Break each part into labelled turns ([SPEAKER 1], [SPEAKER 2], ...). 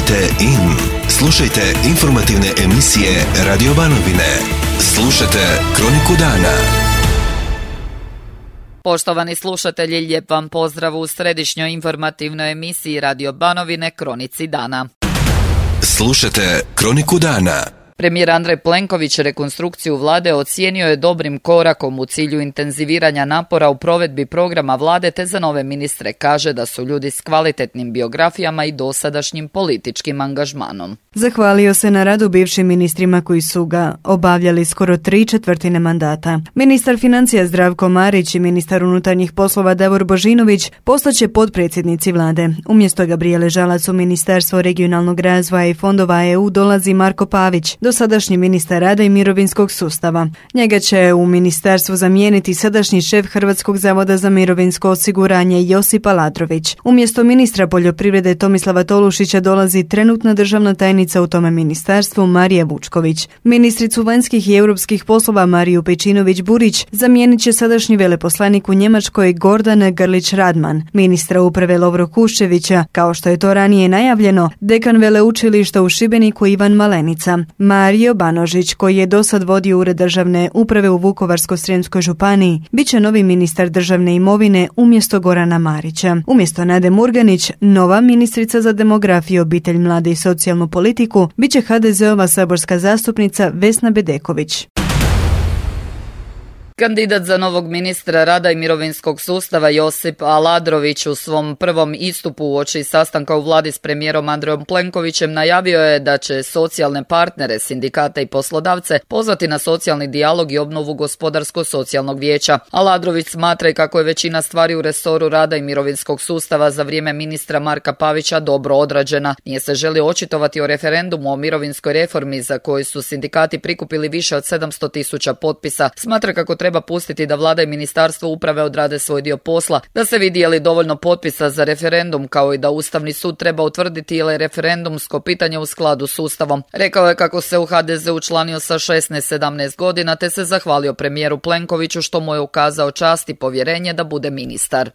[SPEAKER 1] Kliknite in. Slušajte informativne emisije Radio Banovine. Slušajte Kroniku dana.
[SPEAKER 2] Poštovani slušatelji, lijep vam pozdrav u središnjoj informativnoj emisiji Radio Banovine Kronici dana.
[SPEAKER 1] Slušajte Kroniku dana.
[SPEAKER 2] Premijer Andrej Plenković rekonstrukciju vlade ocijenio je dobrim korakom u cilju intenziviranja napora u provedbi programa vlade, te za nove ministre kaže da su ljudi s kvalitetnim biografijama i dosadašnjim političkim angažmanom.
[SPEAKER 3] Zahvalio se na radu bivšim ministrima koji su ga obavljali skoro 3/4 mandata. Ministar financija Zdravko Marić i ministar unutarnjih poslova Davor Božinović postaće potpredsjednici vlade. Umjesto Gabrijele Žalac u Ministarstvo regionalnog razvoja i fondova EU dolazi Marko Pavić, dosadašnji ministar rada i mirovinskog sustava. Njega će u ministarstvu zamijeniti sadašnji šef Hrvatskog zavoda za mirovinsko osiguranje Josip Aladrović. Umjesto ministra poljoprivrede Tomislava Tolušića dolazi trenutna državna tajnica u tome ministarstvu Marija Vučković. Ministricu vanjskih i europskih poslova Mariju Pejčinović-Burić zamijenit će sadašnji veleposlanik u Njemačkoj Gordan Grlić-Radman. Ministra uprave Lovro Kuščevića, kao što je to ranije najavljeno, dekan veleučilišta u Šibeniku Ivan Malenica. Mario Banožić, koji je dosad vodio Ured državne uprave u Vukovarsko-srijemskoj županiji, bit će novi ministar državne imovine umjesto Gorana Marića. Umjesto Nade Murganić, nova ministrica za demografiju, obitelj, mlade i socijalnu politiku bit će HDZ-ova saborska zastupnica Vesna Bedeković.
[SPEAKER 2] Kandidat za novog ministra rada i mirovinskog sustava Josip Aladrović u svom prvom istupu uoči sastanka u vladi s premijerom Andrejom Plenkovićem najavio je da će socijalne partnere, sindikate i poslodavce pozvati na socijalni dijalog i obnovu gospodarsko-socijalnog vijeća. Aladrović smatra i kako je većina stvari u resoru rada i mirovinskog sustava za vrijeme ministra Marka Pavića dobro odrađena. Nije se želio očitovati o referendumu o mirovinskoj reformi za koju su sindikati prikupili više od 700.000 potpisa. Smatra kako treba pustiti da vlada i ministarstvo uprave odrade svoj dio posla, da se vidi je li dovoljno potpisa za referendum, kao i da Ustavni sud treba utvrditi je li referendumsko pitanje u skladu s Ustavom. Rekao je kako se u HDZ učlanio sa 16-17 godina, te se zahvalio premijeru Plenkoviću što mu je ukazao čast i povjerenje da bude ministar.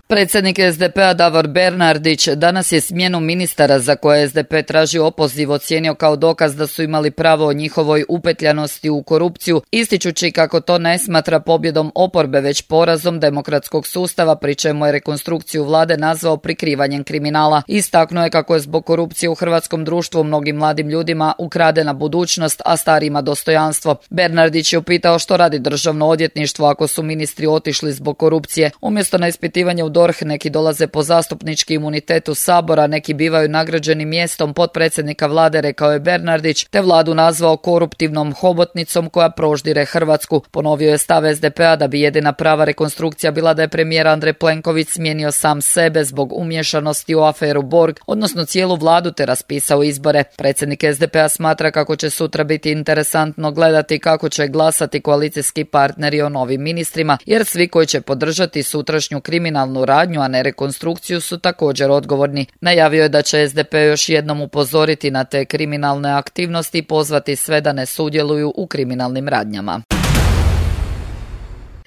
[SPEAKER 2] Predsjednik SDP-a Davor Bernardić danas je smjenu ministara za koje SDP traži opoziv ocijenio kao dokaz da su imali pravo o njihovoj upetljanosti u korupciju, ističući kako to ne smatra pobjedom oporbe već porazom demokratskog sustava, pri čemu je rekonstrukciju vlade nazvao prikrivanjem kriminala. Istaknuo je kako je zbog korupcije u hrvatskom društvu mnogim mladim ljudima ukradena budućnost, a starijima dostojanstvo. Bernardić je upitao što radi državno odvjetništvo ako su ministri otišli zbog korupcije. Umjesto na ispitivanje u DORH neki dolaze po zastupnički imunitetu Sabora, neki bivaju nagrađeni mjestom potpredsjednika vlade, rekao je Bernardić, te vladu nazvao koruptivnom hobotnicom koja proždire Hrvatsku. Ponovio je stav SDP-a da bi jedina prava rekonstrukcija bila da je premijer Andrej Plenković smijenio sam sebe zbog umješanosti u aferu Borg, odnosno cijelu vladu, te raspisao izbore. Predsjednik SDP-a smatra kako će sutra biti interesantno gledati kako će glasati koalicijski partneri o novim ministrima, jer svi koji će podržati sutrašnju kriminalnu radnju, a ne rekonstrukciju, su također odgovorni. Najavio je da će SDP još jednom upozoriti na te kriminalne aktivnosti i pozvati sve da ne sudjeluju u kriminalnim radnjama.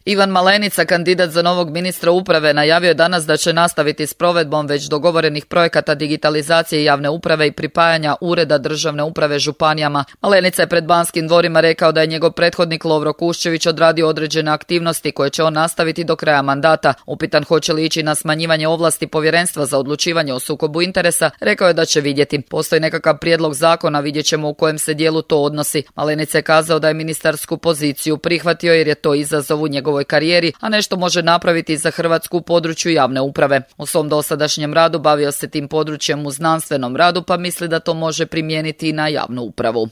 [SPEAKER 2] Ivan Malenica, kandidat za novog ministra uprave, najavio je danas da će nastaviti s provedbom već dogovorenih projekata digitalizacije javne uprave i pripajanja ureda državne uprave županijama. Malenica je pred Banskim dvorima rekao da je njegov prethodnik Lovro Kuščević odradio određene aktivnosti koje će on nastaviti do kraja mandata. Upitan hoće li ići na smanjivanje ovlasti Povjerenstva za odlučivanje o sukobu interesa, rekao je da će vidjeti. Postoji nekakav prijedlog zakona, vidjet ćemo u kojem se dijelu to odnosi. Malenica je kazao da je ministarsku poziciju prihvatio jer je to izazov u njegovoj karijeri, a nešto može napraviti za Hrvatsku u području javne uprave. U svom dosadašnjem radu bavio se tim područjem u znanstvenom radu, pa misli da to može primijeniti i na javnu upravu.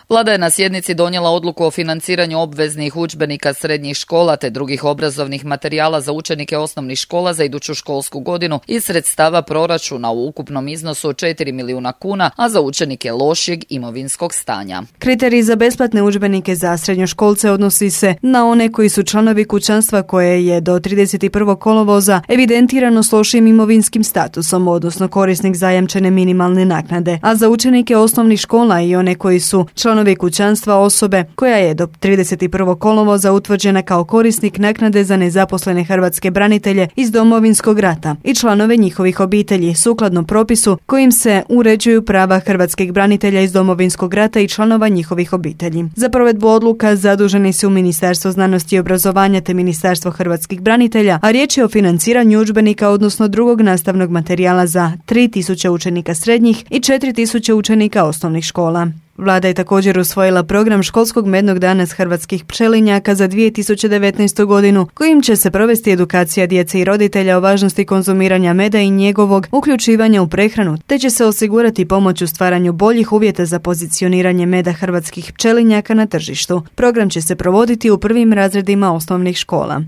[SPEAKER 2] Vlada je na sjednici donijela odluku o financiranju obveznih udžbenika srednjih škola te drugih obrazovnih materijala za učenike osnovnih škola za iduću školsku godinu iz sredstava proračuna u ukupnom iznosu od 4 milijuna kuna, a za učenike lošijeg imovinskog stanja.
[SPEAKER 3] Kriterij za besplatne udžbenike za srednjoškolce odnosi se na one koji su članovi kućanstva koje je do 31. kolovoza evidentirano s lošim imovinskim statusom, odnosno korisnik zajamčene minimalne naknade, a za učenike osnovnih škola i one koji su članovi članovi kućanstva osobe koja je do 31. kolovoza utvrđena kao korisnik naknade za nezaposlene hrvatske branitelje iz Domovinskog rata i članove njihovih obitelji sukladno propisu kojim se uređuju prava hrvatskih branitelja iz Domovinskog rata i članova njihovih obitelji. Za provedbu odluka zaduženi su Ministarstvo znanosti i obrazovanja te Ministarstvo hrvatskih branitelja, a riječ je o financiranju udžbenika odnosno drugog nastavnog materijala za 3000 učenika srednjih i 4000 učenika osnovnih škola. Vlada je također usvojila program školskog mednog dana s hrvatskih pčelinjaka za 2019. godinu, kojim će se provesti edukacija djece i roditelja o važnosti konzumiranja meda i njegovog uključivanja u prehranu, te će se osigurati pomoć u stvaranju boljih uvjeta za pozicioniranje meda hrvatskih pčelinjaka na tržištu. Program će se provoditi u prvim razredima osnovnih škola.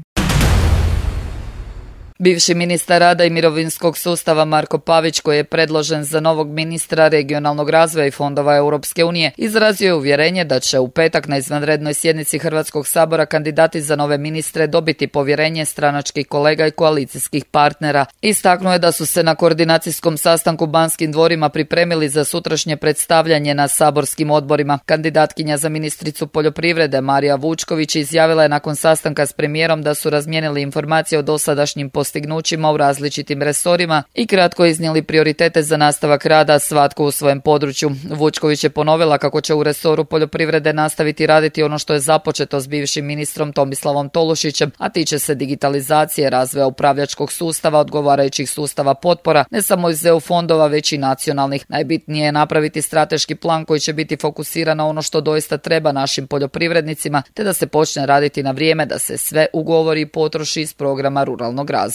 [SPEAKER 2] Bivši ministar rada i mirovinskog sustava Marko Pavić, koji je predložen za novog ministra regionalnog razvoja i fondova Europske unije, izrazio je uvjerenje da će u petak na izvanrednoj sjednici Hrvatskog sabora kandidati za nove ministre dobiti povjerenje stranačkih kolega i koalicijskih partnera. Istaknuo je da su se na koordinacijskom sastanku u Banskim dvorima pripremili za sutrašnje predstavljanje na saborskim odborima. Kandidatkinja za ministricu poljoprivrede Marija Vučković izjavila je nakon sastanka s premijerom da su razmijenili informacije o dosadašnjim postignućima u različitim resorima i kratko iznijeli prioritete za nastavak rada svatko u svojem području. Vučković je ponovila kako će u resoru poljoprivrede nastaviti raditi ono što je započeto s bivšim ministrom Tomislavom Tolušićem, a tiče se digitalizacije, razvoja upravljačkog sustava, odgovarajućih sustava potpora, ne samo iz EU fondova, već i nacionalnih. Najbitnije je napraviti strateški plan koji će biti fokusiran na ono što doista treba našim poljoprivrednicima, te da se počne raditi na vrijeme da se sve ugovori i potroši iz programa ruralnog razvoja.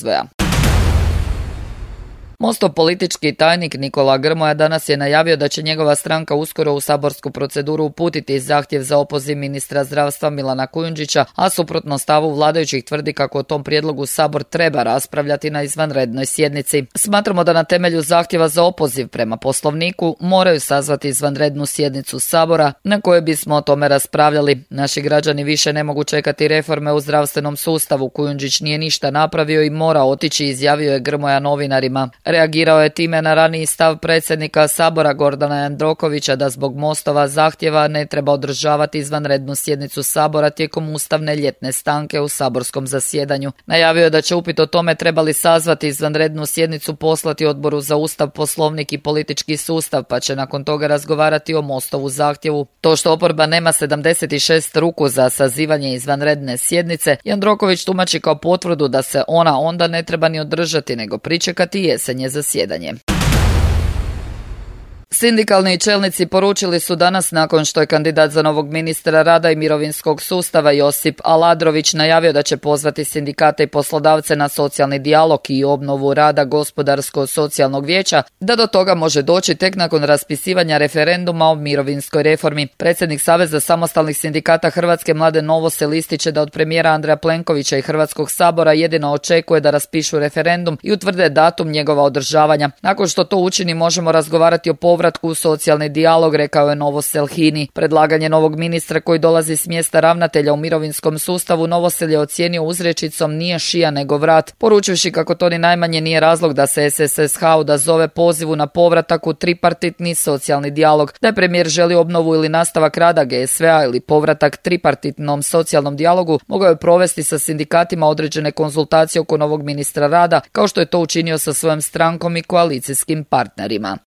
[SPEAKER 2] Mostov politički tajnik Nikola Grmoja danas je najavio da će njegova stranka uskoro u saborsku proceduru uputiti zahtjev za opoziv ministra zdravstva Milana Kujundžića, a suprotno stavu vladajućih tvrdi kako o tom prijedlogu Sabor treba raspravljati na izvanrednoj sjednici. Smatramo da na temelju zahtjeva za opoziv prema Poslovniku moraju sazvati izvanrednu sjednicu Sabora na kojoj bismo o tome raspravljali. Naši građani više ne mogu čekati reforme u zdravstvenom sustavu. Kujundžić nije ništa napravio i mora otići, izjavio je Grmoja novinarima. Reagirao je time na raniji stav predsjednika Sabora Gordana Jandrokovića da zbog Mostova zahtjeva ne treba održavati izvanrednu sjednicu Sabora tijekom ustavne ljetne stanke u saborskom zasjedanju. Najavio je da će upit o tome trebali sazvati izvanrednu sjednicu poslati Odboru za Ustav, Poslovnik i politički sustav, pa će nakon toga razgovarati o Mostovu zahtjevu. To što oporba nema 76 ruku za sazivanje izvanredne sjednice, Jandroković tumači kao potvrdu da se ona onda ne treba ni održati, nego pričekati jesenje zasjedanje. Sindikalni čelnici poručili su danas, nakon što je kandidat za novog ministra rada i mirovinskog sustava Josip Aladrović najavio da će pozvati sindikate i poslodavce na socijalni dijalog i obnovu rada Gospodarsko-socijalnog vijeća, da do toga može doći tek nakon raspisivanja referenduma o mirovinskoj reformi. Predsjednik Saveza samostalnih sindikata Hrvatske Mladen Novosel ističe da od premijera Andreja Plenkovića i Hrvatskog sabora jedino očekuje da raspišu referendum i utvrde datum njegova održavanja. Nakon što to učini, možemo razgovarati o povratku u socijalni dijalog, rekao je Novosel HINA-i. Predlaganje novog ministra koji dolazi s mjesta ravnatelja u mirovinskom sustavu Novosel je ocijenio uzrečicom nije šija nego vrat, poručujući kako to ni najmanje nije razlog da se SSSH odazove pozivu na povratak u tripartitni socijalni dijalog. Da je premijer želi obnovu ili nastavak rada GSV-a ili povratak tripartitnom socijalnom dijalogu, mogao je provesti sa sindikatima određene konzultacije oko novog ministra rada, kao što je to učinio sa svojom strankom i koalicijskim partnerima.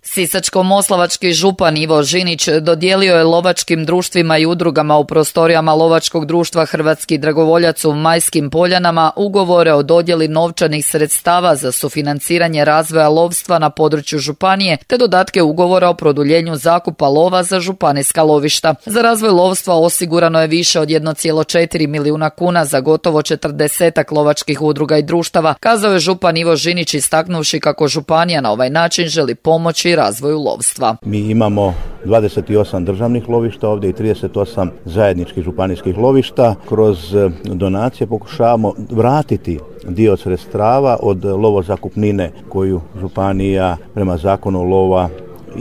[SPEAKER 2] Sisačko-moslavački župan Ivo Žinić dodijelio je lovačkim društvima i udrugama u prostorijama lovačkog društva Hrvatski dragovoljac u Majskim Poljanama ugovore o dodjeli novčanih sredstava za sufinanciranje razvoja lovstva na području županije, te dodatke ugovora o produljenju zakupa lova za županijska lovišta. Za razvoj lovstva osigurano je više od 1,4 milijuna kuna za gotovo 40 lovačkih udruga i društava, kazao je župan Ivo Žinić, istaknuvši kako županija na ovaj način želi pomoći razvoju lovstva.
[SPEAKER 4] Mi imamo 28 državnih lovišta ovdje i 38 zajedničkih županijskih lovišta. Kroz donacije pokušavamo vratiti dio sredstava od lovozakupnine koju županija prema zakonu lova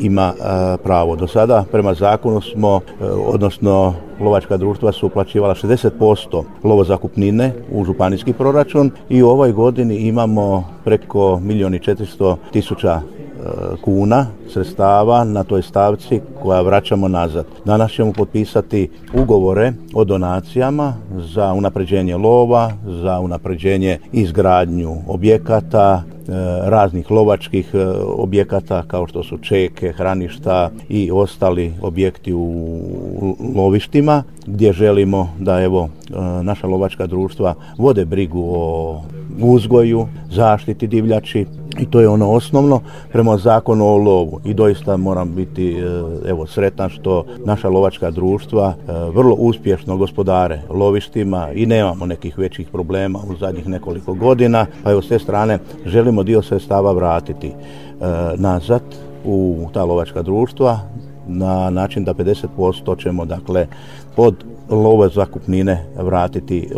[SPEAKER 4] ima pravo. Do sada prema zakonu smo, odnosno lovačka društva su uplaćivala 60% lovozakupnine u županijski proračun i u ovoj godini imamo preko 1.400.000 kuna sredstava na toj stavci koja vraćamo nazad. Danas ćemo potpisati ugovore o donacijama za unapređenje lova, za unapređenje izgradnju objekata, raznih lovačkih objekata kao što su čeke, hraništa i ostali objekti u lovištima gdje želimo da naša lovačka društva vode brigu o uzgoju, zaštiti divljači i to je ono osnovno prema zakonu o lovu i doista moram biti sretan što naša lovačka društva vrlo uspješno gospodare lovištima i nemamo nekih većih problema u zadnjih nekoliko godina, pa s te strane želimo dio sredstava vratiti nazad u ta lovačka društva na način da 50% ćemo od love zakupnine vratiti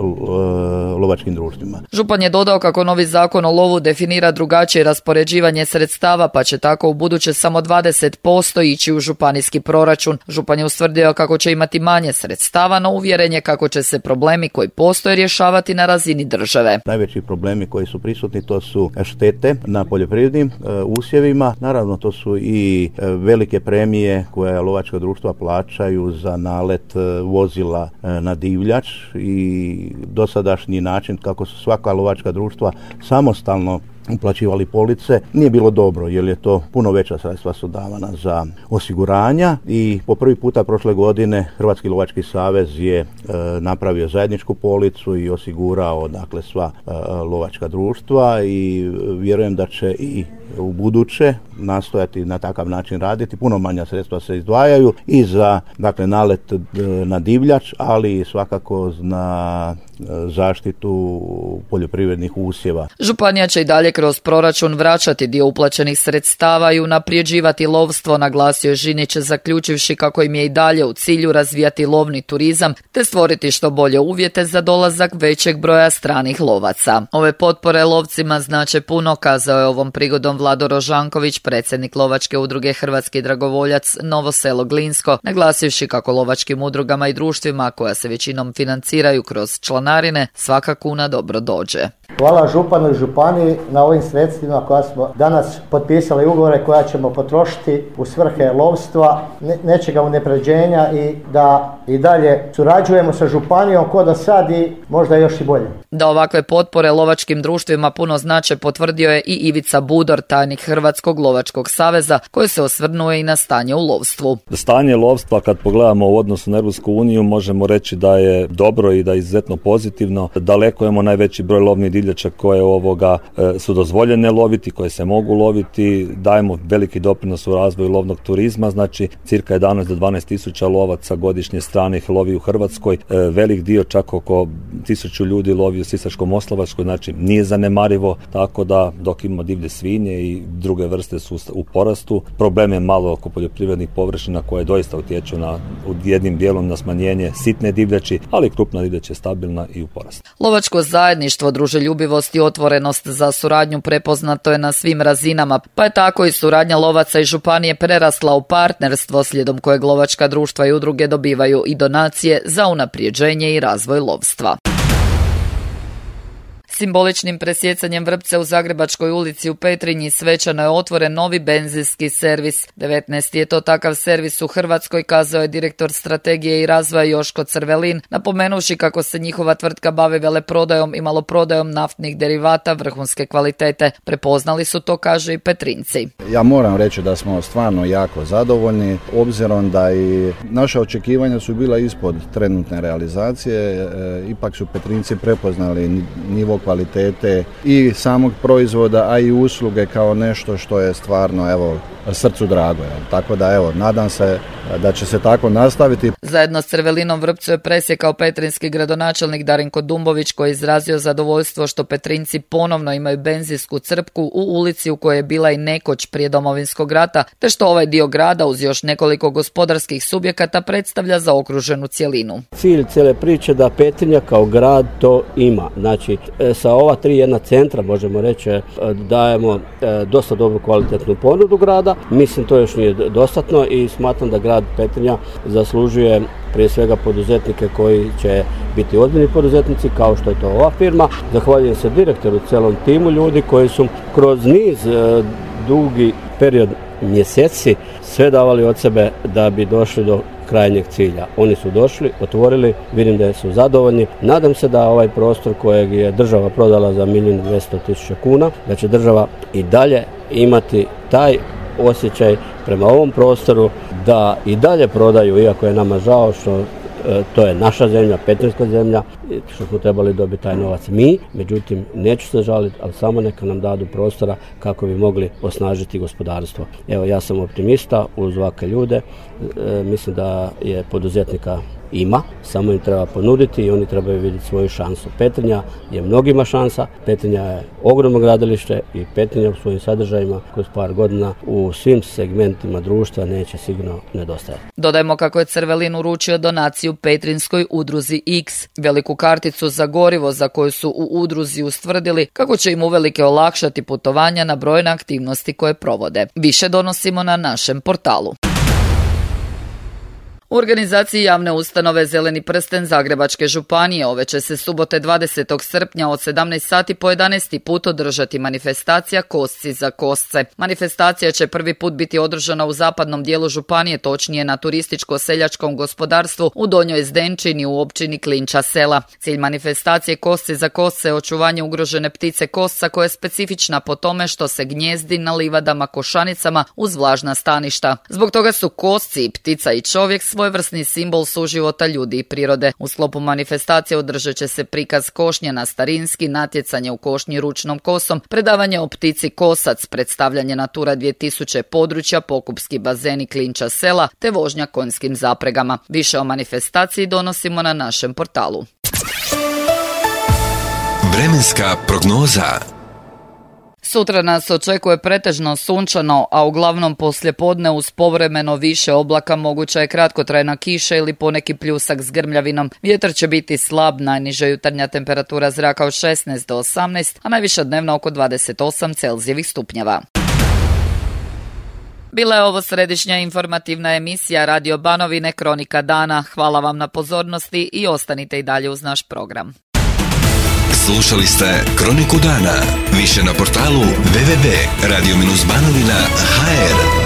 [SPEAKER 4] lovačkim društvima.
[SPEAKER 2] Župan je dodao kako novi zakon o lovu definira drugačije raspoređivanje sredstava, pa će tako u buduće samo 20% ići u županijski proračun. Župan je ustvrdio kako će imati manje sredstava, no uvjeren je kako će se problemi koji postoje rješavati na razini države.
[SPEAKER 4] Najveći problemi koji su prisutni to su štete na poljoprivrednim usjevima. Naravno to su i velike premije koje lovačka društva plaćaju za nalet vozila na divljač i dosadašnji način kako su svaka lovačka društva samostalno uplaćivali police nije bilo dobro jer je to puno veća sredstva su davana za osiguranja i po prvi puta prošle godine Hrvatski lovački savez je napravio zajedničku policu i osigurao sva lovačka društva i vjerujem da će i u buduće nastojati na takav način raditi. Puno manja sredstva se izdvajaju i za nalet na divljač, ali i svakako na zaštitu poljoprivrednih usjeva.
[SPEAKER 2] Županija će i dalje kroz proračun vraćati dio uplaćenih sredstava i unaprijeđivati lovstvo, naglasio je Žinić, zaključivši kako im je i dalje u cilju razvijati lovni turizam te stvoriti što bolje uvjete za dolazak većeg broja stranih lovaca. Ove potpore lovcima znače puno, kazao je ovom prigodom Vlado Rožanković, predsjednik lovačke udruge Hrvatski dragovoljac Novo Selo Glinsko, naglasivši kako lovačkim udrugama i društvima koja se većinom financiraju kroz članarine svaka kuna dobro dođe.
[SPEAKER 5] Hvala županu i županiji na ovim sredstvima koja smo danas potpisali ugovore koja ćemo potrošiti u svrhe lovstva, nečega unapređenja i da i dalje surađujemo sa županijom ko do sad i možda još i bolje.
[SPEAKER 2] Da ovakve potpore lovačkim društvima puno znače potvrdio je i Ivica Budor, tajnik Hrvatskog lovačkog saveza, koji se osvrnuo i na stanje u lovstvu.
[SPEAKER 6] Stanje lovstva kad pogledamo u odnosu na Europsku uniju možemo reći da je dobro i da je izuzetno pozitivno. Daleko imamo najveći broj lovnih divljača koje su dozvoljene loviti, koje se mogu loviti, dajemo veliki doprinos u razvoju lovnog turizma, znači cirka 11 do 12 tisuća lovaca godišnje stranih lovi u Hrvatskoj, velik dio čak oko 1000 ljudi lovi u Sisačko-moslavačkoj, znači nije zanemarivo, tako da dok imamo divlje svinje i druge vrste su u porastu. Problem je malo oko poljoprivrednih površina koje doista utječu jednim dijelom na smanjenje sitne divljači, ali krupna divljać je stabilna i u porastu.
[SPEAKER 2] Lovačko zajedništvo, druželjubivost i otvorenost za suradnju prepoznato je na svim razinama, pa je tako i suradnja lovaca i županije prerasla u partnerstvo slijedom kojeg lovačka društva i udruge dobivaju i donacije za unaprijeđenje i razvoj lovstva. Simboličnim presjecanjem vrpce u Zagrebačkoj ulici u Petrinji svečano je otvoren novi benzinski servis. 19. je to takav servis u Hrvatskoj, kazao je direktor strategije i razvoja Joško Crvelin, napomenuvši kako se njihova tvrtka bavi veleprodajom i maloprodajom naftnih derivata vrhunske kvalitete. Prepoznali su to, kaže i Petrinci.
[SPEAKER 7] Ja moram reći da smo stvarno jako zadovoljni, obzirom da i naša očekivanja su bila ispod trenutne realizacije, ipak su Petrinci prepoznali nivo kvalitete i samog proizvoda, a i usluge kao nešto što je stvarno srcu drago. Tako da nadam se da će se tako nastaviti.
[SPEAKER 2] Zajedno s Crvelinom vrpcu je presjekao petrinski gradonačelnik Darinko Dumbović, koji je izrazio zadovoljstvo što Petrinci ponovno imaju benzinsku crpku u ulici u kojoj je bila i nekoć prije Domovinskog rata, te što ovaj dio grada uz još nekoliko gospodarskih subjekata predstavlja zaokruženu cjelinu.
[SPEAKER 8] Cilj cijele priče da Petrinja kao grad to ima. Znači, sa ova 3 jedna centra, možemo reći, dajemo dosta dobru kvalitetnu ponudu grada. Mislim, to još nije dostatno i smatram da grad Petrinja zaslužuje prije svega poduzetnike koji će biti ozbiljni poduzetnici, kao što je to ova firma. Zahvaljujem se direktoru, celom timu ljudi koji su kroz niz dugi period mjeseci sve davali od sebe da bi došli do krajnjeg cilja. Oni su došli, otvorili, vidim da su zadovoljni. Nadam se da ovaj prostor kojeg je država prodala za 1.200.000 kuna, da će država i dalje imati taj osjećaj prema ovom prostoru da i dalje prodaju, iako je nama žao što to je naša zemlja, petrinjska zemlja, što smo trebali dobiti taj novac mi, međutim neću se žaliti, ali samo neka nam dadu prostora kako bi mogli osnažiti gospodarstvo. Evo, ja sam optimista uz ovakve ljude, mislim da je poduzetnika ima, samo im treba ponuditi i oni trebaju vidjeti svoju šansu. Petrinja je mnogima šansa, Petrinja je ogromno gradilište i Petrinja u svojim sadržajima kroz par godina u svim segmentima društva neće sigurno nedostajati.
[SPEAKER 2] Dodajmo kako je Crvelin uručio donaciju Petrinjskoj udruzi X, veliku karticu za gorivo za koju su u udruzi ustvrdili kako će im uvelike olakšati putovanja na brojne aktivnosti koje provode. Više donosimo na našem portalu. U organizaciji javne ustanove Zeleni prsten Zagrebačke županije ove će se subote 20. srpnja od 17 sati po 11. put održati manifestacija Kosci za kosce. Manifestacija će prvi put biti održana u zapadnom dijelu županije, točnije na turističko-seljačkom gospodarstvu u Donjoj Zdenčini u općini Klinča sela. Cilj manifestacije Kosci za kosce je očuvanje ugrožene ptice kosca koja je specifična po tome što se gnjezdi na livadama košanicama uz vlažna staništa. Zbog toga su kosci, ptica i čovjek svojevrsni simbol suživota ljudi i prirode. U sklopu manifestacije održat će se prikaz košnje na starinski, natjecanje u košnji ručnom kosom, predavanje o ptici kosac, predstavljanje Natura 2000 područja, pokupski bazeni Klinča sela te vožnja konjskim zapregama. Više o manifestaciji donosimo na našem portalu.
[SPEAKER 1] Vremenska prognoza.
[SPEAKER 2] Sutra nas očekuje pretežno sunčano, a uglavnom poslijepodne uz povremeno više oblaka moguća je kratkotrajna kiša ili poneki pljusak s grmljavinom. Vjetar će biti slab, najniža jutarnja temperatura zraka od 16 do 18, a najviša dnevna oko 28 Celzijevih stupnjeva. Bila je ovo središnja informativna emisija Radio Banovine Kronika dana. Hvala vam na pozornosti i ostanite i dalje uz naš program.
[SPEAKER 1] Slušali ste Kroniku dana. Više na portalu www.radio-banovina.hr.